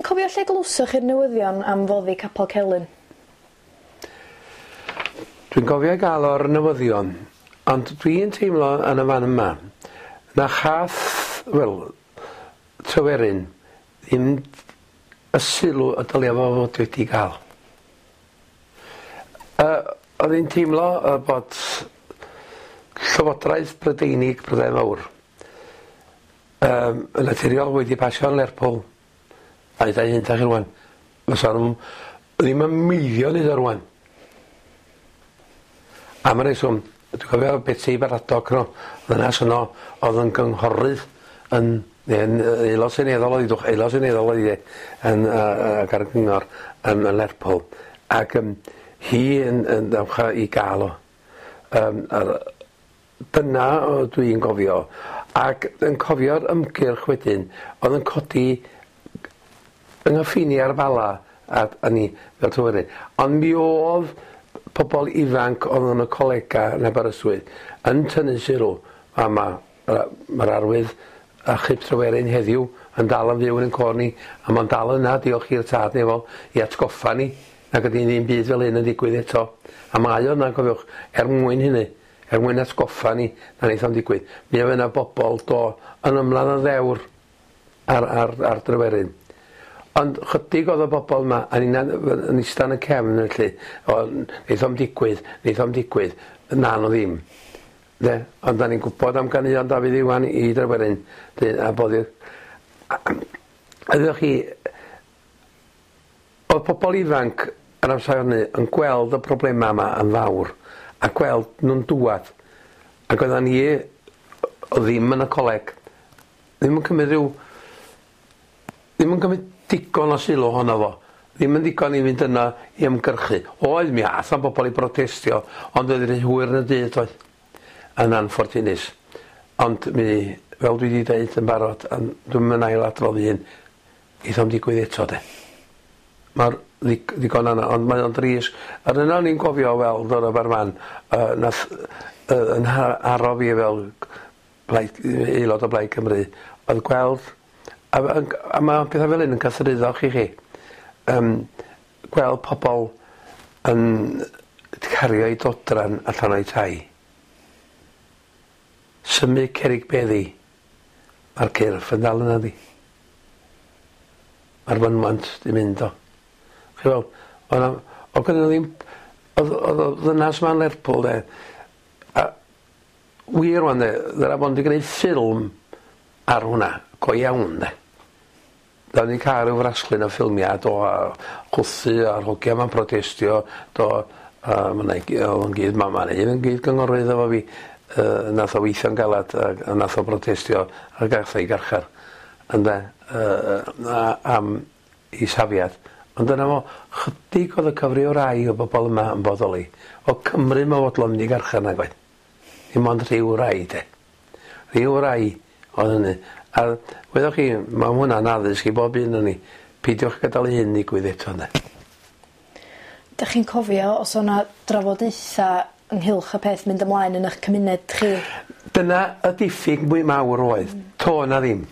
Cofio lle glywsoch chi'r newyddion am foddi Capel Celyn? Dwi'n cofio gael o'r newyddion, ond dwi'n teimlo yn y fan yma na chath, wel, Tryweryn ddim y sylw y dylia fo fod wedi gael. Oedd hi'n teimlo bod Llywodraeth Brydeinig Prydain Fawr yn naturiol wedi pasio yn Lerpwl a dau hyn chi rwan. Fysa nhw ddim yn meiddio neud o rwan. Am y reswm, dwi'n cofio Betty Baradog no, ddynas yno oedd yn gynghorydd yn neu'n aelod seneddol oedd hi, aelod seneddol oedd hi yn ac ar y gyngor yn Lerpwl. Ac hi yn dawcha i gael o. Dyna dwi'n gofio. Ac yn cofio'r ymgyrch wedyn, oedd yn codi yng nghyffiniau'r Bala a ni fel Tryweryn. Ond mi oedd pobl ifanc oedd yn y colega yn Aberystwyth yn tynnu sylw a mae'r arwydd achub Tryweryn heddiw yn dal yn fyw yn ein côr ni, a mae'n dal yna, diolch i'r tad nefol, i atgoffa ni nag ydy ddim byd fel hyn yn digwydd eto. A mae o yna, cofiwch, er mwyn hynny, er mwyn atgoffa ni na wneith o'm digwydd. Mi oedd yna bobl do yn ymladd yn ddewr ar Dryweryn. Ond chydig oedd y bobl yma, a ni'n yn ista yn y cefn felly, o, wneith o'm digwydd, wneith o'm digwydd, na no ddim. De? Ond da ni'n gwybod am ganeuon Dafydd Iwan i Dryweryn, a bod i'r... A ddewch chi, oedd pobl ifanc yn amser hynny yn gweld y problemau yma yn fawr, a gweld nhw'n dŵad. Ac oeddan ni ddim yn y coleg, ddim yn cymryd rhyw... ddim yn cymryd digon o sylw ohono fo. Ddim yn ddigon i fynd yna i ymgyrchu. Oedd, mi ath am bobl i brotestio, ond oedd rhy hwyr yn y dydd, oedd. Yn anffortunus. Ond mi, fel dwi wedi dweud yn barod, dwi'm yn ailadrodd un, eith o'm digwydd eto, de. Mae'r ddigon yna, ond mae o'n dris. Yr yna o'n i'n cofio weld o'r Aberfan, nath yn aro fi fel aelod o Blaid Cymru, oedd gweld, a mae pethau fel hyn yn cythruddo chi chi, gweld pobl yn cario eu dodran allan o'i tai. Symud cerrig beddi, mae'r cyrff yn dal yna di. Mae'r fynwant di mynd o. Chi weld, oedd gynnu ddim, oedd y ddynas ma'n Lerpwl de, a wir rwan de, ddyla bod wedi gwneud ffilm ar hwnna, go iawn de. Da ni'n cael rhyw fraslun o ffilmiau, do, a chwthu a'r hogia ma'n protestio, do, a ma' 'na oedd yn gyd, ma' un yn gyd gynghorydd efo fi, nath o weithio'n galad a nath o brotestio a gath o'i garchar, ynde, am ei safiad. Ond dyna fo, chydig oedd y cyfri o rai o bobl yma yn bodoli. O Cymru ma' fodlon mynd i garchar nag oedd. Dim ond rhyw rai de. Rhyw rai oedd hynny. A wedoch chi, mae hwnna'n addysg i bob un o'n ni. Peidiwch gadael i hyn ddigwydd eto ynde. Dych chi'n cofio os o'na drafodaetha ynghylch y peth mynd ymlaen yn eich cymuned chi? Dyna y diffyg mwy mawr oedd. To na ddim.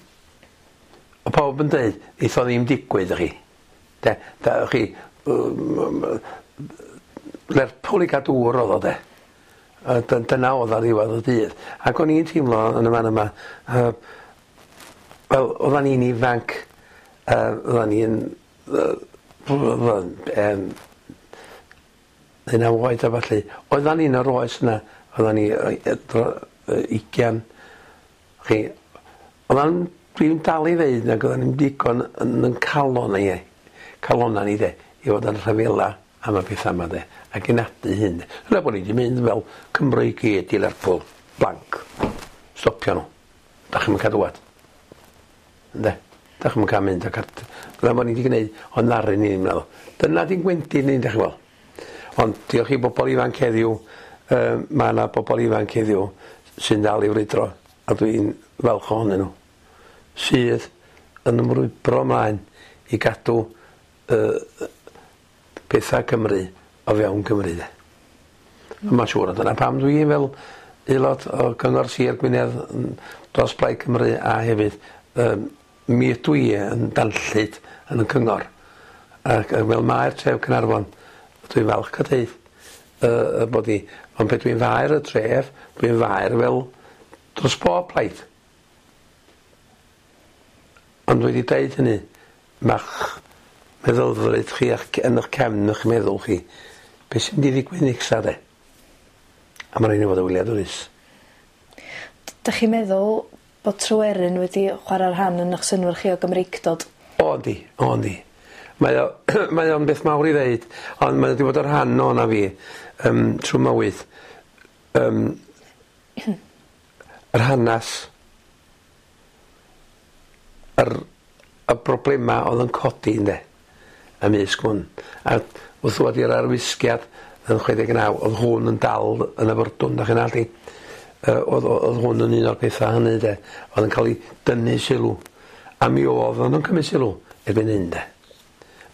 O pawb yn dweud, eith o ddim digwydd chi. De, da chi, Lerpwl i gael dŵr oedd o de. Dyna oedd ar ddiwedd y dydd. Ac o'n i'n teimlo yn y fan yma, wel, oeddan ni'n ifanc, oeddan ni'n 19 oed a falle. Oeddan ni'n yr oes yna, oeddan ni 20. Chi, oeddan, dwi'n dal i ddeud nag oeddan ni'n digon yn calon ni, calonna ni de, i fod yn rhyfela am y pethau yma de, ac i nadu hyn. Yna bod ni wedi mynd fel Cymru i gyd i Lerpwl, blank, stopio nhw. Da chi'm yn cael dŵad. Ynde? Da chi'm yn cael mynd ac dyna bod ni wedi gwneud, ond naru ni ddim meddwl. Dyna di'n gwendid ni, da chi'n gweld. Ond diolch i bobl ifanc heddiw, mae yna bobl ifanc heddiw sy'n dal i frwydro, a dwi'n falch ohonyn nhw, sydd yn ymrwybro ymlaen i gadw pethau Cymru o fewn Cymru. De. A mae'n siŵr, dyna pam dwi fel aelod o Gyngor Sir Gwynedd dros Blaid Cymru a hefyd mi ydw i yn danllyd yn y cyngor. Ac fel maer tref Caernarfon, dwi'n falch o deud bod i, ond pe dwi'n faer y tref, dwi'n faer fel dros bob plaid. Ond wedi deud hynny, ma'ch meddylfryd chi a'ch, yn eich cefn eich meddwl chi, beth sy'n mynd i ddigwydd nesa de? A mae'n rhaid i fod yn wyliadwrus. Dych chi'n meddwl bod Tryweryn wedi chwarae rhan yn eich synnwyr chi o Gymreictod? O yndi, o yndi. Mae o, mae o'n beth mawr i ddeud, ond mae o wedi bod yn rhan o'na fi trwy mywyd. Yr hanes, y broblema oedd yn codi ynde, ymysg hwn. A wrth ddod i'r arwisgiad yn 69, oedd hwn yn dal yn y fyrdwn, da chi'n allu. Oedd hwn yn un o'r pethau hynny de, oedd yn cael ei dynnu sylw. A mi oedd o'n cymryd sylw erbyn hyn de.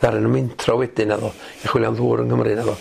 Ddaru nhw mentro wedyn naddo, i chwilio am ddŵr yng Nghymru naddo.